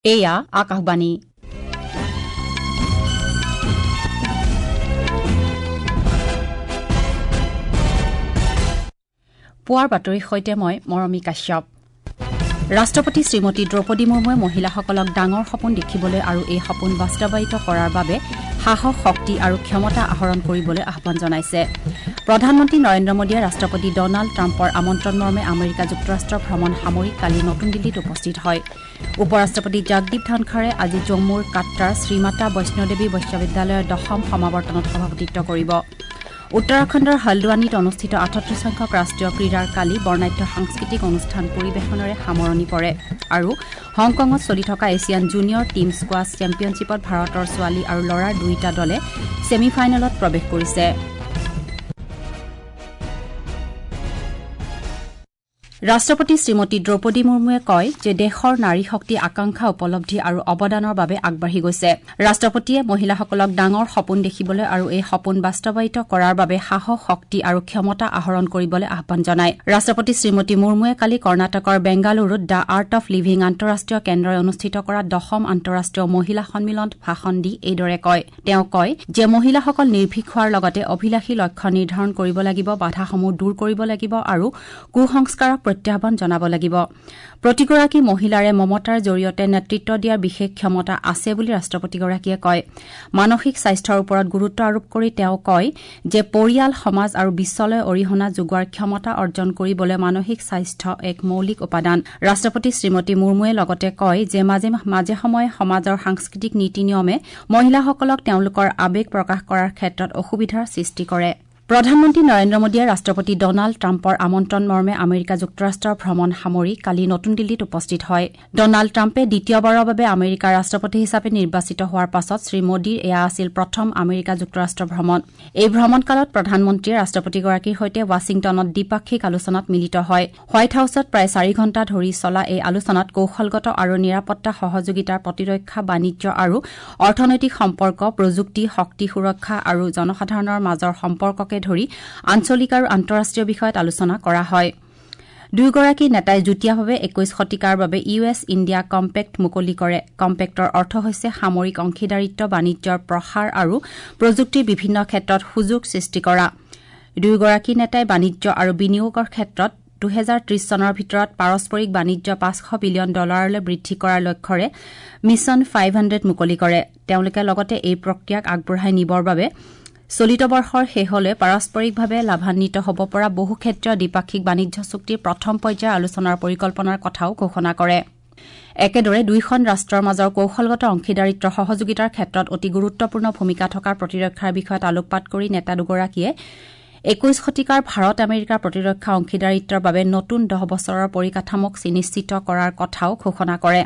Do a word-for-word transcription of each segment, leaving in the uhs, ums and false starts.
এয়া আকাশবাণী। পুৱাৰ বাতৰিৰ সৈতে মই মৰমী কাশ্যপ। ৰাষ্ট্ৰপতি শ্ৰীমতী দ্ৰৌপদী মুৰ্মুৱে মহিলাসকলক ডাঙৰ সপোন দেখিবলৈ আৰু এই সপোন বাস্তৱায়িত কৰাৰ বাবে সাহস, শক্তি আৰু ক্ষমতা আহৰণ কৰিবলৈ আহ্বান জনাইছে। প্ৰধানমন্ত্ৰী নৰেন্দ্ৰ মোদীয়ে ৰাষ্ট্ৰপতি ডনাল্ড ট্ৰাম্পৰ আমন্ত্ৰণ মৰ্মে আমেৰিকা যুক্তৰাষ্ট্ৰ ভ্ৰমণ সামৰি কালি নতুন দিল্লীত উপস্থিত হয়। উপ ৰাষ্ট্ৰপতি জগদীপ ধনখৰে আজি জম্মুৰ কাট্ৰাৰ শ্ৰীমাতা বৈষ্ণোদেৱী বিশ্ববিদ্যালয়ৰ দশম সমাৱৰ্তনত সভাপতিত্ব কৰিব। উত্তৰাখণ্ডৰ হালদোৱানীত অনুষ্ঠিত আঠত্ৰিশ সংখ্যক ৰাষ্ট্ৰীয় ক্ৰীড়াৰ কালি বৰ্ণাঢ্য সাংস্কৃতিক অনুষ্ঠান পৰিৱেশনেৰে সামৰণি পৰে। আৰু হংকঙত চলি থকা এছিয়ান জুনিয়ৰ টীম স্কোৱাছ চেম্পিয়নশ্বিপত ভাৰতৰ ছোৱালী আৰু ল'ৰাৰ দুয়োটা দলে ছেমি ফাইনেলত প্ৰৱেশ কৰিছে। ৰাষ্ট্ৰপতি শ্ৰীমতী দ্ৰৌপদী মুৰ্মুৱে কয় যে দেশৰ নাৰী শক্তি আকাংক্ষা, উপলব্ধি আৰু অৱদানৰ বাবে আগবাঢ়ি গৈছে। ৰাষ্ট্ৰপতিয়ে মহিলাসকলক ডাঙৰ সপোন দেখিবলৈ আৰু এই সপোন বাস্তৱায়িত কৰাৰ বাবে সাহস, শক্তি আৰু ক্ষমতা আহৰণ কৰিবলৈ আহ্বান জনায়। ৰাষ্ট্ৰপতি শ্ৰীমতী মুৰ্মুৱে কালি কৰ্ণাটকৰ বেংগালুৰুত the art of living আন্তঃৰাষ্ট্ৰীয় কেন্দ্ৰই অনুষ্ঠিত কৰা দশম আন্তঃৰাষ্ট্ৰীয় মহিলা সন্মিলনত ভাষণ দি এইদৰে কয়। তেওঁ কয় যে মহিলাসকল নিৰ্ভীক হোৱাৰ লগতে অভিলাষী লক্ষ্য নিৰ্ধাৰণ কৰিব লাগিব, বাধাসমূহ দূৰ কৰিব লাগিব আৰু কুসংস্কাৰক প্ৰত্যাহ্বান জনাব লাগিব। প্ৰতিগৰাকী মহিলাৰে মমতাৰ জৰিয়তে নেতৃত্ব দিয়াৰ বিশেষ ক্ষমতা আছে বুলি ৰাষ্ট্ৰপতিগৰাকীয়ে কয়। মানসিক স্বাস্থ্যৰ ওপৰত গুৰুত্ব আৰোপ কৰি তেওঁ কয় যে পৰিয়াল, সমাজ আৰু বিশ্বলৈ অৰিহণা যোগোৱাৰ ক্ষমতা অৰ্জন কৰিবলৈ মানসিক স্বাস্থ্য এক মৌলিক উপাদান। ৰাষ্ট্ৰপতি শ্ৰীমতী মুৰ্মুৱে লগতে কয় যে মাজে মাজে সময়ে সমাজৰ সাংস্কৃতিক নীতি নিয়মে মহিলাসকলক তেওঁলোকৰ আৱেগ প্ৰকাশ কৰাৰ ক্ষেত্ৰত অসুবিধাৰ সৃষ্টি কৰে। প্ৰধানমন্ত্ৰী নৰেন্দ্ৰ মোদীয়ে ৰাষ্ট্ৰপতি ডনাল্ড ট্ৰাম্পৰ আমন্ত্ৰণ মৰ্মে আমেৰিকা যুক্তৰাষ্ট্ৰৰ ভ্ৰমণ সামৰি কালি নতুন দিল্লীত উপস্থিত হয়। ডনাল্ড ট্ৰাম্পে দ্বিতীয়বাৰৰ বাবে আমেৰিকাৰ ৰাষ্ট্ৰপতি হিচাপে নিৰ্বাচিত হোৱাৰ পাছত শ্ৰীমোদীৰ এয়া আছিল প্ৰথম আমেৰিকা যুক্তৰাষ্ট্ৰ ভ্ৰমণ। এই ভ্ৰমণকালত প্ৰধানমন্ত্ৰীয়ে ৰাষ্ট্ৰপতিগৰাকীৰ সৈতে ৱাশ্বিংটনত দ্বিপাক্ষিক আলোচনাত মিলিত হয়। হোৱাইট হাউছত প্ৰায় চাৰি ঘণ্টা ধৰি চলা এই আলোচনাত কৌশলগত আৰু নিৰাপত্তা সহযোগিতাৰ, প্ৰতিৰক্ষা, বাণিজ্য আৰু অৰ্থনৈতিক সম্পৰ্ক, প্ৰযুক্তি, শক্তি সুৰক্ষা আৰু জনসাধাৰণৰ মাজৰ সম্পৰ্ককে ধৰি আঞ্চলিক আৰু আন্তঃৰাষ্ট্ৰীয় বিষয়ত আলোচনা কৰা হয়। দুয়োগৰাকী নেতাই যুটীয়াভাৱে একৈশ শতিকাৰ বাবে ইউ এছ ইণ্ডিয়া কম্পেক্ট মুকলি কৰে। কম্পেক্টৰ অৰ্থ হৈছে সামৰিক অংশীদাৰিত্ব, বাণিজ্যৰ প্ৰসাৰ আৰু প্ৰযুক্তিৰ বিভিন্ন ক্ষেত্ৰত সুযোগ সৃষ্টি কৰা। দুয়োগৰাকী নেতাই বাণিজ্য আৰু বিনিয়োগৰ ক্ষেত্ৰত দুহেজাৰ ত্ৰিশ চনৰ ভিতৰত পাৰস্পৰিক বাণিজ্য পাঁচশ বিলিয়ন ডলাৰলৈ বৃদ্ধি কৰাৰ লক্ষ্যৰে মিছন ফাইভ হাণ্ড্ৰেড মুকলি কৰে। তেওঁলোকে লগতে এই প্ৰক্ৰিয়াক আগবঢ়াই নিবৰ বাবে চলিত বৰ্ষৰ শেষলৈ পাৰস্পৰিকভাৱে লাভান্বিত হ'ব পৰা বহুক্ষেত্ৰীয় দ্বিপাক্ষিক বাণিজ্য চুক্তিৰ প্ৰথম পৰ্যায়ৰ আলোচনাৰ পৰিকল্পনাৰ কথাও ঘোষণা কৰে। একেদৰে দুয়োখন ৰাষ্ট্ৰৰ মাজৰ কৌশলগত অংশীদাৰিত্বৰ সহযোগিতাৰ ক্ষেত্ৰত অতি গুৰুত্বপূৰ্ণ ভূমিকা থকা প্ৰতিৰক্ষাৰ বিষয়ত আলোকপাত কৰি নেতা দুগৰাকীয়ে একৈশ শতিকাৰ ভাৰত আমেৰিকাৰ প্ৰতিৰক্ষা অংশীদাৰিত্বৰ বাবে নতুন দহ বছৰৰ পৰিকাঠামোক সুনিশ্চিত কৰাৰ কথাও ঘোষণা কৰে।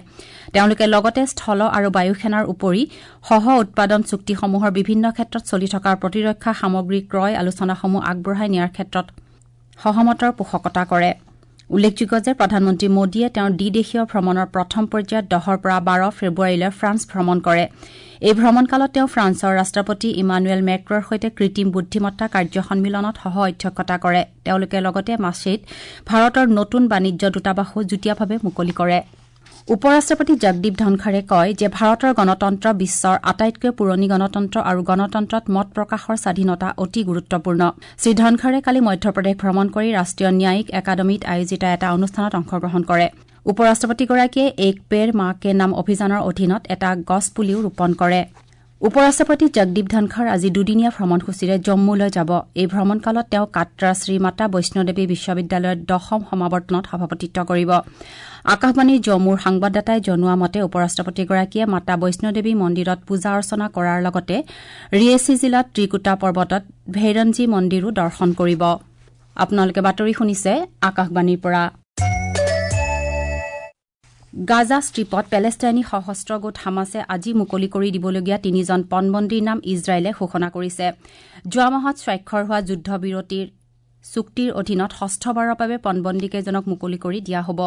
তেওঁলোকে লগতে স্থল আৰু বায়ুসেনাৰ উপৰি সহ উৎপাদন চুক্তিসমূহৰ বিভিন্ন ক্ষেত্ৰত চলি থকা প্ৰতিৰক্ষা সামগ্ৰী ক্ৰয় আলোচনাসমূহ আগবঢ়াই নিয়াৰ ক্ষেত্ৰত সহমতৰ পোষকতা কৰে। উল্লেখযোগ্য যে প্ৰধানমন্ত্ৰী মোদীয়ে তেওঁৰ দ্বিদেশীয় ভ্ৰমণৰ প্ৰথম পৰ্যায়ত দহৰ পৰা বাৰ ফেব্ৰুৱাৰীলৈ ফ্ৰান্স ভ্ৰমণ কৰে। এই ভ্ৰমণকালত তেওঁ ফ্ৰান্সৰ ৰাষ্ট্ৰপতি ইমানুৱেল মেক্ৰৰ সৈতে কৃত্ৰিম বুদ্ধিমত্তা কাৰ্য সন্মিলনত সহ অধ্যক্ষতা কৰে। তেওঁলোকে লগতে মাছেইত ভাৰতৰ নতুন বাণিজ্য দূতাবাসো যুটীয়াভাৱে মুকলি কৰে। উপ ৰাষ্ট্ৰপতি জগদীপ ধনখৰে কয় যে ভাৰতৰ গণতন্ত্ৰ বিশ্বৰ আটাইতকৈ পুৰণি গণতন্ত্ৰ আৰু গণতন্ত্ৰত মত প্ৰকাশৰ স্বাধীনতা অতি গুৰুত্বপূৰ্ণ। শ্ৰীধনখৰে কালি মধ্যপ্ৰদেশ ভ্ৰমণ কৰি ৰাষ্ট্ৰীয় ন্যায়িক একাডেমীত আয়োজিত এটা অনুষ্ঠানত অংশগ্ৰহণ কৰে। উপ ৰাষ্ট্ৰপতিগৰাকীয়ে এক পেৰ মা কে নাম অভিযানৰ অধীনত এটা গছপুলিও ৰোপণ কৰে। উপ ৰাষ্ট্ৰপতি জগদীপ ধনখৰ আজি দুদিনীয়া ভ্ৰমণসূচীৰে জম্মুলৈ যাব। এই ভ্ৰমণকালত তেওঁ কাট্ৰা শ্ৰীমাতা বৈষ্ণোদেৱী বিশ্ববিদ্যালয়ৰ দশম সমাৱৰ্তনত সভাপতিত্ব কৰিব। আকাশবাণীৰ জম্মুৰ সংবাদদাতাই জনোৱা মতে উপ ৰাষ্ট্ৰপতিগৰাকীয়ে মাতা বৈষ্ণোদেৱী মন্দিৰত পূজা অৰ্চনা কৰাৰ লগতে ৰিয়েছি জিলাত ত্ৰিকুটা পৰ্বতত ভৈৰঞ্জী মন্দিৰো দৰ্শন কৰিব। আপোনালোকে বাতৰি শুনিছে আকাশবাণীৰ পৰা। গাজা ষ্ট্ৰীপত পেলেষ্টাইনী সশস্ত্ৰ গোট হামাছে আজি মুকলি কৰি দিবলগীয়া তিনিজন পণবন্দীৰ নাম ইজৰাইলে ঘোষণা কৰিছে। যোৱা মাহত স্বাক্ষৰ হোৱা যুদ্ধবিৰতিৰ চুক্তিৰ অধীনত ষষ্ঠবাৰৰ বাবে পণবন্দীকেইজনক মুকলি কৰি দিয়া হ'ব।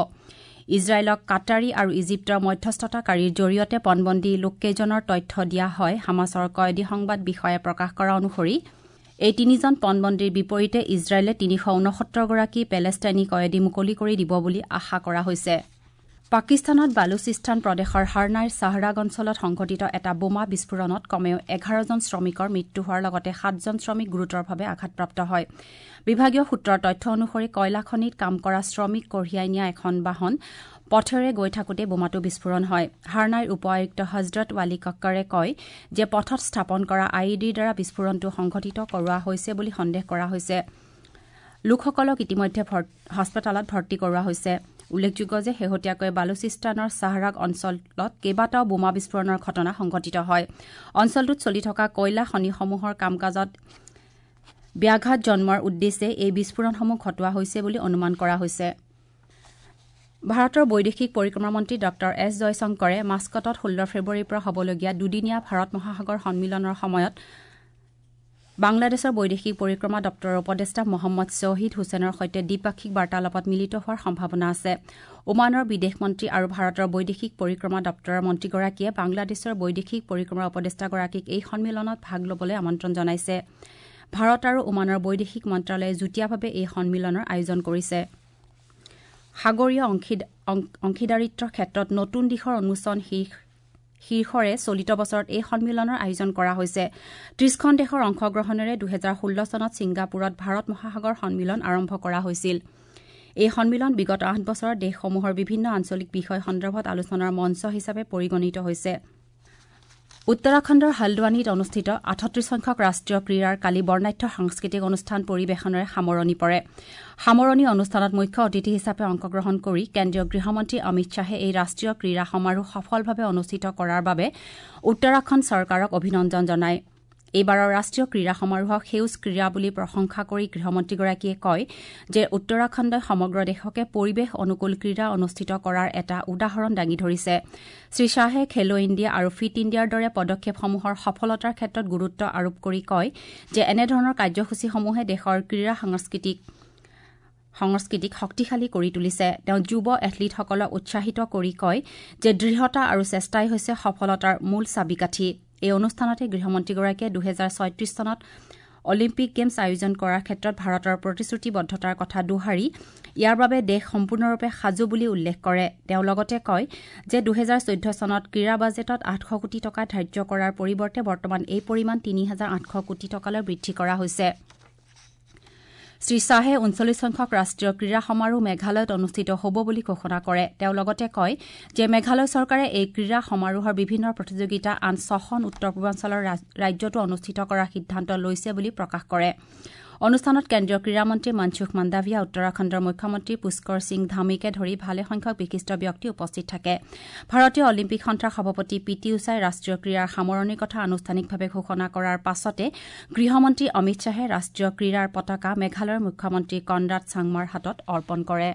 ইজৰাইলক কাটাৰী আৰু ইজিপ্তৰ মধ্যস্থতাকাৰীৰ জৰিয়তে পণবন্দী লোককেইজনৰ তথ্য দিয়া হয়। হামাছৰ কয়েদী সংবাদ বিষয়াই প্ৰকাশ কৰা অনুসৰি এই তিনিজন পণবন্দীৰ বিপৰীতে ইজৰাইলে তিনিশ ঊনসত্তৰগৰাকী পেলেষ্টাইনী কয়েদী মুকলি কৰি দিব বুলি আশা কৰা হৈছে। পাকিস্তানত বালুচিস্তান প্ৰদেশৰ হাৰনাইৰ চাহৰাগ অঞ্চলত সংঘটিত এটা বোমা বিস্ফোৰণত কমেও এঘাৰজন শ্ৰমিকৰ মৃত্যু হোৱাৰ লগতে সাতজন শ্ৰমিক গুৰুতৰভাৱে আঘাতপ্ৰাপ্ত হয়। বিভাগীয় সূত্ৰৰ তথ্য অনুসৰি কয়লা খনিত কাম কৰা শ্ৰমিক কঢ়িয়াই নিয়া এখন বাহন পথেৰে গৈ থাকোঁতে বোমাটো বিস্ফোৰণ হয়। হাৰনাইৰ উপ আয়ুক্ত হজৰত ৱালী কক্কৰে কয় যে পথত স্থাপন কৰা I E ডিৰ দ্বাৰা বিস্ফোৰণটো সংঘটিত কৰোৱা হৈছে বুলি সন্দেহ কৰা হৈছে। লোকসকলক ইতিমধ্যে হাস্পতালত ভৰ্তি কৰোৱা হৈছে। উল্লেখযোগ্য যে শেহতীয়াকৈ বালুচিস্তানৰ চাহৰাগ অঞ্চলত কেইবাটাও বোমা বিস্ফোৰণৰ ঘটনা সংঘটিত হয়। অঞ্চলটোত চলি থকা কয়লা খনিসমূহৰ কাম কাজত ব্যাঘাত জন্মোৱাৰ উদ্দেশ্যে এই বিস্ফোৰণসমূহ ঘটোৱা হৈছে বুলি অনুমান কৰা হৈছে। ভাৰতৰ বৈদেশিক পৰিক্ৰমা মন্ত্ৰী ডঃ এছ জয়শংকৰে মাস্কটত ষোল্ল ফেব্ৰুৱাৰীৰ পৰা হ'বলগীয়া দুদিনীয়া ভাৰত মহাসাগৰ সন্মিলনৰ সময়ত বাংলাদেশৰ বৈদেশিক পৰিক্ৰমা দপ্তৰৰ উপদেষ্টা মহম্মদ শ্বহিদ হুছেইনৰ সৈতে দ্বিপাক্ষিক বাৰ্তালাপত মিলিত হোৱাৰ সম্ভাৱনা আছে। ওমানৰ বিদেশ মন্ত্ৰী আৰু ভাৰতৰ বৈদেশিক পৰিক্ৰমা দপ্তৰৰ মন্ত্ৰীগৰাকীয়ে বাংলাদেশৰ বৈদেশিক পৰিক্ৰমা উপদেষ্টাগৰাকীক এই সন্মিলনত ভাগ ল'বলৈ আমন্ত্ৰণ জনাইছে। ভাৰত আৰু ওমানৰ বৈদেশিক মন্ত্ৰালয়ে যুটীয়াভাৱে এই সন্মিলনৰ আয়োজন কৰিছে। সাগৰীয় অংশীদাৰিত্বৰ ক্ষেত্ৰত নতুন দিশৰ উন্মোচন শীৰ্ষৰে চলিত বছৰত এই সন্মিলনৰ আয়োজন কৰা হৈছে। ত্ৰিশখন দেশৰ অংশগ্ৰহণেৰে দুহেজাৰ ষোল্ল চনত ছিংগাপুৰত ভাৰত মহাসাগৰ সন্মিলন আৰম্ভ কৰা হৈছিল। এই সন্মিলন বিগত আঠ বছৰত দেশসমূহৰ বিভিন্ন আঞ্চলিক বিষয় সন্দৰ্ভত আলোচনাৰ মঞ্চ হিচাপে পৰিগণিত হৈছে। উত্তৰাখণ্ডৰ হালদ্বানীত অনুষ্ঠিত আঠত্ৰিশ সংখ্যক ৰাষ্ট্ৰীয় ক্ৰীড়াৰ কালি বৰ্ণাঢ্য সাংস্কৃতিক অনুষ্ঠান পৰিৱেশনেৰে সামৰণি পৰে। সামৰণি অনুষ্ঠানত মুখ্য অতিথি হিচাপে অংশগ্ৰহণ কৰি কেন্দ্ৰীয় গৃহমন্ত্ৰী অমিত শ্বাহে এই ৰাষ্ট্ৰীয় ক্ৰীড়া সমাৰোহ সফলভাৱে অনুষ্ঠিত কৰাৰ বাবে উত্তৰাখণ্ড চৰকাৰক অভিনন্দন জনায়। এইবাৰৰ ৰাষ্ট্ৰীয় ক্ৰীড়া সমাৰোহক সেউজ ক্ৰীড়া বুলি প্ৰশংসা কৰি গৃহমন্ত্ৰীগৰাকীয়ে কয় যে উত্তৰাখণ্ডই সমগ্ৰ দেশকে পৰিৱেশ অনুকূল ক্ৰীড়া অনুষ্ঠিত কৰাৰ এটা উদাহৰণ দাঙি ধৰিছে। শ্ৰীশ্বাহে খেলো ইণ্ডিয়া আৰু ফিট ইণ্ডিয়াৰ দৰে পদক্ষেপসমূহৰ সফলতাৰ ক্ষেত্ৰত গুৰুত্ব আৰোপ কৰি কয় যে এনেধৰণৰ কাৰ্যসূচীসমূহে দেশৰ ক্ৰীড়া সংস্কৃতিক সংস্কৃতিক শক্তিশালী কৰি তুলিছে। তেওঁ যুৱ এথলীটসকলক উৎসাহিত কৰি কয় যে দৃঢ়তা আৰু চেষ্টাই হৈছে সফলতাৰ মূল চাবিকাঠি। এই অনুষ্ঠানতে গৃহমন্ত্ৰীগৰাকীয়ে দুহেজাৰ ছয়ত্ৰিশ চনত অলিম্পিক গেমছ আয়োজন কৰাৰ ক্ষেত্ৰত ভাৰতৰ প্ৰতিশ্ৰুতিবদ্ধতাৰ কথা দোহাৰি ইয়াৰ বাবে দেশ সম্পূৰ্ণৰূপে সাজু বুলি উল্লেখ কৰে। তেওঁ লগতে কয় যে দুহেজাৰ চৈধ্য চনত ক্ৰীড়া বাজেটত আঠশ কোটি টকা ধাৰ্য কৰাৰ পৰিৱৰ্তে বৰ্তমান এই পৰিমাণ তিনি হাজাৰ আঠশ কোটি টকালৈ বৃদ্ধি কৰা হৈছে। শ্ৰীশ্বাহে ঊনচল্লিছ সংখ্যক ৰাষ্ট্ৰীয় ক্ৰীড়া সমাৰোহ মেঘালয়ত অনুষ্ঠিত হ'ব বুলি ঘোষণা কৰে। তেওঁ লগতে কয় যে মেঘালয় চৰকাৰে এই ক্ৰীড়া সমাৰোহৰ বিভিন্ন প্ৰতিযোগিতা আন ছখন উত্তৰ পূৰ্বাঞ্চলৰ ৰাজ্যতো অনুষ্ঠিত কৰাৰ সিদ্ধান্ত লৈছে বুলি প্ৰকাশ কৰে। অনুষ্ঠানত কেন্দ্ৰীয় ক্ৰীড়ামন্ত্ৰী মনসুখ মাণ্ডাভিয়া, উত্তৰাখণ্ডৰ মুখ্যমন্ত্ৰী পুষ্কৰ সিং ধামীকে ধৰি ভালেসংখ্যক বিশিষ্ট ব্যক্তি উপস্থিত থাকে। ভাৰতীয় অলিম্পিক সন্থাৰ সভাপতি পি টি উষাই ৰাষ্ট্ৰীয় ক্ৰীড়াৰ সামৰণিৰ কথা আনুষ্ঠানিকভাৱে ঘোষণা কৰাৰ পাছতে গৃহমন্ত্ৰী অমিত শ্বাহে ৰাষ্ট্ৰীয় ক্ৰীড়াৰ পতাকা মেঘালয়ৰ মুখ্যমন্ত্ৰী কনৰাড চাংমাৰ হাতত অৰ্পণ কৰে।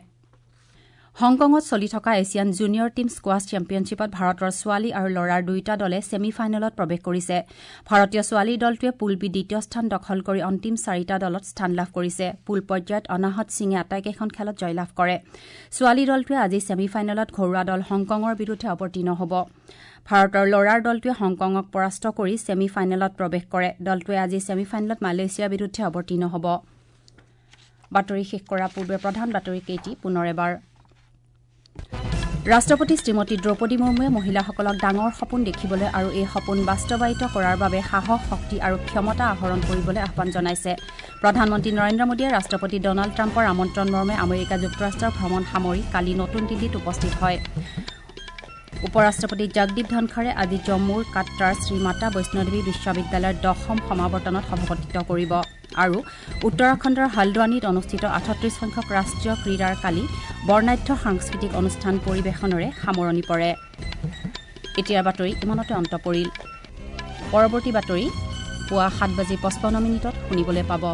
হংকঙত চলি থকা এছিয়ান জুনিয়ৰ টীম স্কোৱাছ চেম্পিয়নশ্বিপত ভাৰতৰ ছোৱালী আৰু ল'ৰাৰ দুয়োটা দলে ছেমি ফাইনেলত প্ৰৱেশ কৰিছে। ভাৰতীয় ছোৱালীৰ দলটোৱে পুল বি দ্বিতীয় স্থান দখল কৰি অন্তিম চাৰিটা দলত স্থান লাভ কৰিছে। পুল পৰ্যায়ত অনাহত সিঙে আটাইকেইখন খেলত জয়লাভ কৰে। ছোৱালী দলটোৱে আজি ছেমি ফাইনেলত ঘৰুৱা দল হংকঙৰ বিৰুদ্ধে অৱতীৰ্ণ হ'ব। ভাৰতৰ ল'ৰাৰ দলটোৱে হংকঙক পৰাস্ত কৰি ছেমি ফাইনেলত প্ৰৱেশ কৰে। দলটোৱে আজি ছেমি ফাইনেলত মালয়েছিয়াৰ বিৰুদ্ধে অৱতীৰ্ণ হ'ব। বাতৰি শেষ কৰাৰ পূৰ্বে প্ৰধান বাতৰি কেইটি পুনৰ এবাৰ। ৰাষ্ট্ৰপতি শ্ৰীমতী দ্ৰৌপদী মুৰ্মুৱে মহিলাসকলক ডাঙৰ সপোন দেখিবলৈ আৰু এই সপোন বাস্তৱায়িত কৰাৰ বাবে সাহস, শক্তি আৰু ক্ষমতা আহৰণ কৰিবলৈ আহ্বান জনাইছে। প্ৰধানমন্ত্ৰী নৰেন্দ্ৰ মোদীয়ে ৰাষ্ট্ৰপতি ডনাল্ড ট্ৰাম্পৰ আমন্ত্ৰণ মৰ্মে আমেৰিকা যুক্তৰাষ্ট্ৰৰ ভ্ৰমণ সামৰি কালি নতুন দিল্লীত উপস্থিত হয়। উপ ৰাষ্ট্ৰপতি জগদীপ ধনখৰে আজি জম্মুৰ কাট্ৰাৰ শ্ৰীমাতা বৈষ্ণোদেৱী বিশ্ববিদ্যালয়ৰ দশম সমাৱৰ্তনত সভাপতিত্ব কৰিব। আৰু উত্তৰাখণ্ডৰ হালদ্বানীত অনুষ্ঠিত আঠত্ৰিশ সংখ্যক ৰাষ্ট্ৰীয় ক্ৰীড়াৰ কালি বৰ্ণাঢ্য সাংস্কৃতিক অনুষ্ঠান পৰিৱেশনেৰে সামৰণি পৰে। এতিয়াৰ বাতৰি ইমানতে অন্ত পৰিল। পৰৱৰ্তী বাতৰি পুৱা সাত বাজি পঁচপন্ন মিনিটত শুনিবলৈ পাব।